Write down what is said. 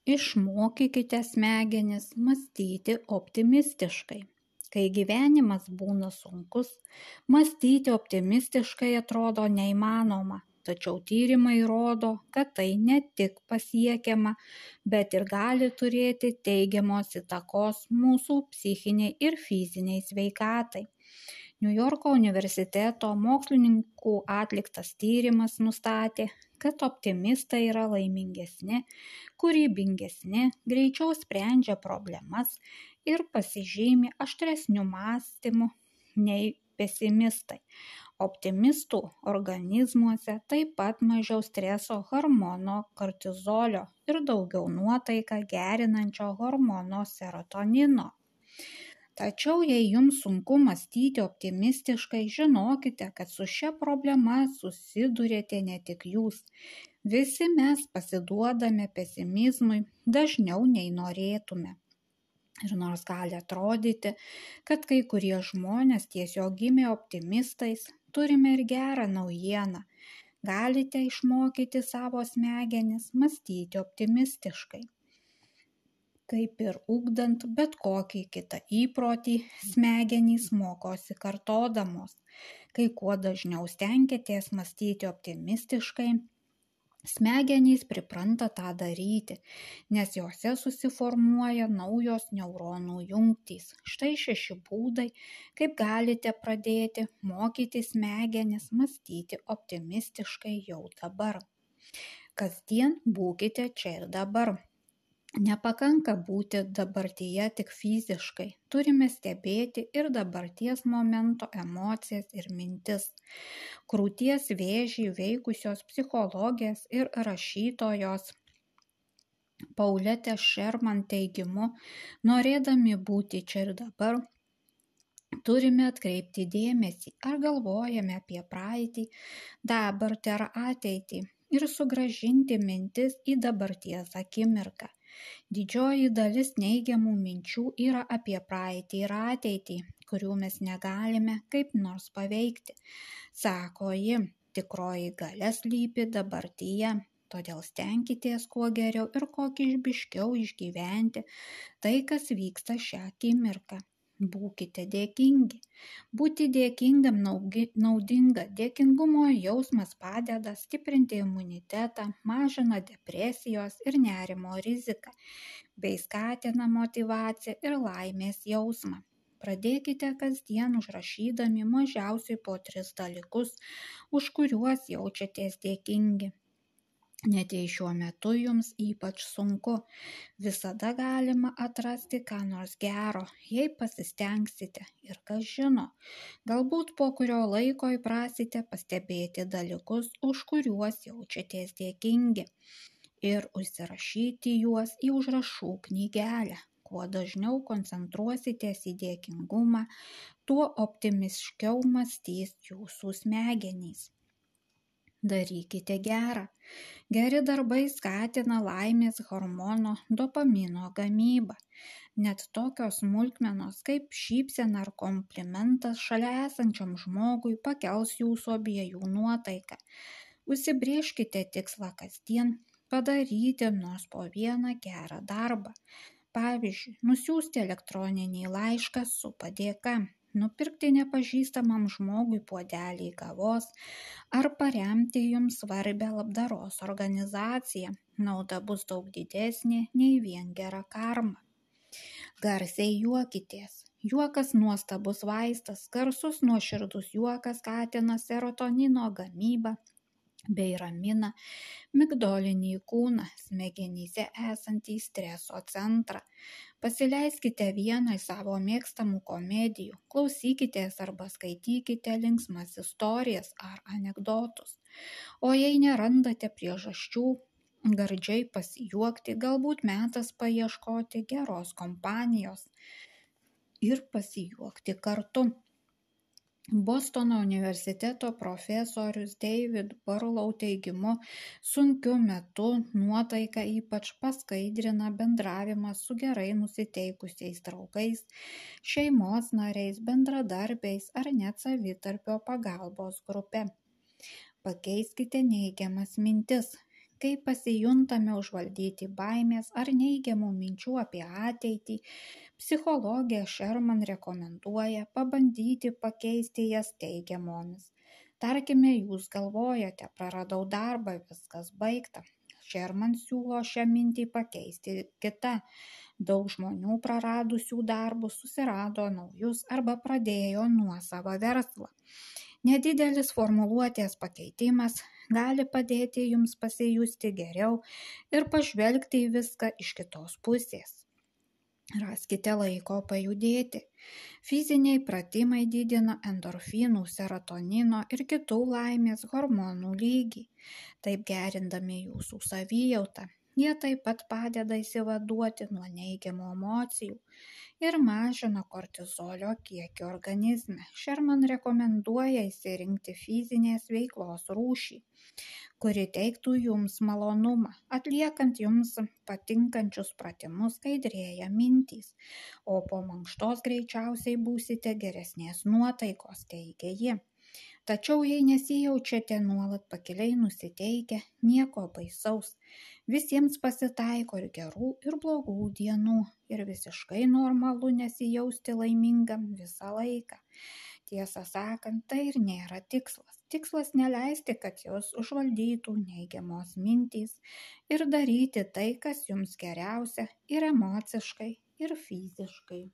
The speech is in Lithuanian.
Išmokykite smegenis mąstyti optimistiškai. Kai gyvenimas būna sunkus, mąstyti optimistiškai atrodo neįmanoma, tačiau tyrimai rodo, kad tai ne tik pasiekiama, bet ir gali turėti teigiamos įtakos mūsų psichiniai ir fiziniai sveikatai. Niujorko universiteto mokslininkų atliktas tyrimas nustatė, kad optimistai yra laimingesni, kūrybingesni, greičiau sprendžia problemas ir pasižymi aštresniu mąstymu nei pesimistai. Optimistų organizmuose taip pat mažiau streso hormono kortizolio ir daugiau nuotaiką gerinančio hormono serotonino. Tačiau jei jums sunku mąstyti optimistiškai, žinokite, kad su šia problema susidurėte ne tik jūs. Visi mes pasiduodame pesimizmui dažniau nei norėtume. Ir nors gali atrodyti, kad kai kurie žmonės tiesiog gimė optimistais, turime ir gerą naujieną. Galite išmokyti savo smegenis mąstyti optimistiškai. Kaip ir ugdant bet kokį kitą įprotį, smegenys mokosi kartodamos. Kai kuo dažniau stenkitės mąstyti optimistiškai, smegenys pripranta tą daryti, nes jose susiformuoja naujos neuronų jungtys. Štai 6 būdai, kaip galite pradėti mokyti smegenis mąstyti optimistiškai jau dabar. Kasdien būkite čia ir dabar. Nepakanka būti dabartyje tik fiziškai, turime stebėti ir dabarties momento emocijas ir mintis. Krūties vėžį veikusios psichologės ir rašytojos Pauletės Sherman teigimu, norėdami būti čia ir dabar, turime atkreipti dėmesį, ar galvojame apie praeitį, dabartį ar ateitį ir sugrąžinti mintis į dabarties akimirką. Didžioji dalis neigiamų minčių yra apie praeitį ir ateitį, kurių mes negalime kaip nors paveikti. Sako ji, tikroji galia slypi dabartyje, todėl stenkitės kuo geriau ir kokybiškiau išgyventi tai, kas vyksta šią akimirką. Būkite dėkingi. Būti dėkingam naudinga. Dėkingumo jausmas padeda stiprinti imunitetą, mažina depresijos ir nerimo riziką, bei skatina motyvaciją ir laimės jausmą. Pradėkite kasdien užrašydami mažiausiai po 3 dalykus, už kuriuos jaučiatės dėkingi. Net jei šiuo metu jums ypač sunku, visada galima atrasti ką nors gero, jei pasistengsite. Ir kas žino, galbūt po kurio laiko įprasite pastebėti dalykus, už kuriuos jaučiatės dėkingi, ir užsirašyti juos į užrašų knygelę. Kuo dažniau koncentruositės į dėkingumą, tuo optimiškiau mąstys jūsų smegenys. Darykite gerą. Geri darbai skatina laimės hormono dopamino gamybą. Net tokios smulkmenos kaip šypsena ar komplimentas šalia esančiam žmogui pakels jūsų abiejų nuotaiką. Užsibrėžkite tikslą kasdien padaryti nors po vieną gerą darbą. Pavyzdžiui, nusiųsti elektroninį laišką su padėka, nupirkti nepažįstamam žmogui puodelį kavos ar paremti jums svarbią labdaros organizaciją. Nauda bus daug didesnė nei vien gera karma. Garsiai juokitės. Juokas nuostabus vaistas, garsus nuoširdus juokas skatina serotonino gamybą bei ramina migdolinį kūną, smegenyse esantį streso centrą. Pasileiskite vieną iš savo mėgstamų komedijų, klausykitės arba skaitykite linksmas istorijas ar anekdotus. O jei nerandate priežasčių gardžiai pasijuokti, galbūt metas paieškoti geros kompanijos ir pasijuokti kartu. Bostono universiteto profesorius David Barlow teigimu, sunkiu metu nuotaiką ypač paskaidrina bendravimas su gerai nusiteikusiais draugais, šeimos nariais, bendradarbiais ar net savitarpio pagalbos grupe. Pakeiskite neigiamas mintis. Kai pasijuntame užvaldyti baimės ar neigiamų minčių apie ateitį, psichologė Sherman rekomenduoja pabandyti pakeisti jas teigiamomis. Tarkime, jūs galvojate, praradau darbą, viskas baigta. Sherman siūlo šią mintį pakeisti kitą. Daug žmonių praradusių darbus susirado naujus arba pradėjo nuosavą verslą. Nedidelis formuluotės pakeitimas gali padėti jums pasijusti geriau ir pažvelgti į viską iš kitos pusės. Raskite laiko pajudėti. Fiziniai pratimai didina endorfinų, serotonino ir kitų laimės hormonų lygį, taip gerindami jūsų savijautą. Jie taip pat padeda išsivaduoti nuo neigiamų emocijų ir mažina kortizolio kiekį organizme. Sherman rekomenduoja išsirinkti fizinės veiklos rūšį, kuri teiktų jums malonumą. Atliekant jums patinkančius pratimus skaidrėja mintys, o po mankštos greičiausiai būsite geresnės nuotaikos, teigia ji. Tačiau jei nesijaučiate nuolat pakiliai nusiteikę, nieko baisaus. Visiems pasitaiko ir gerų, ir blogų dienų, ir visiškai normalu nesijausti laimingam visą laiką. Tiesą sakant, tai ir nėra tikslas. Tikslas neleisti, kad jūs užvaldytų neigiamos mintys ir daryti tai, kas jums geriausia ir emociškai, ir fiziškai.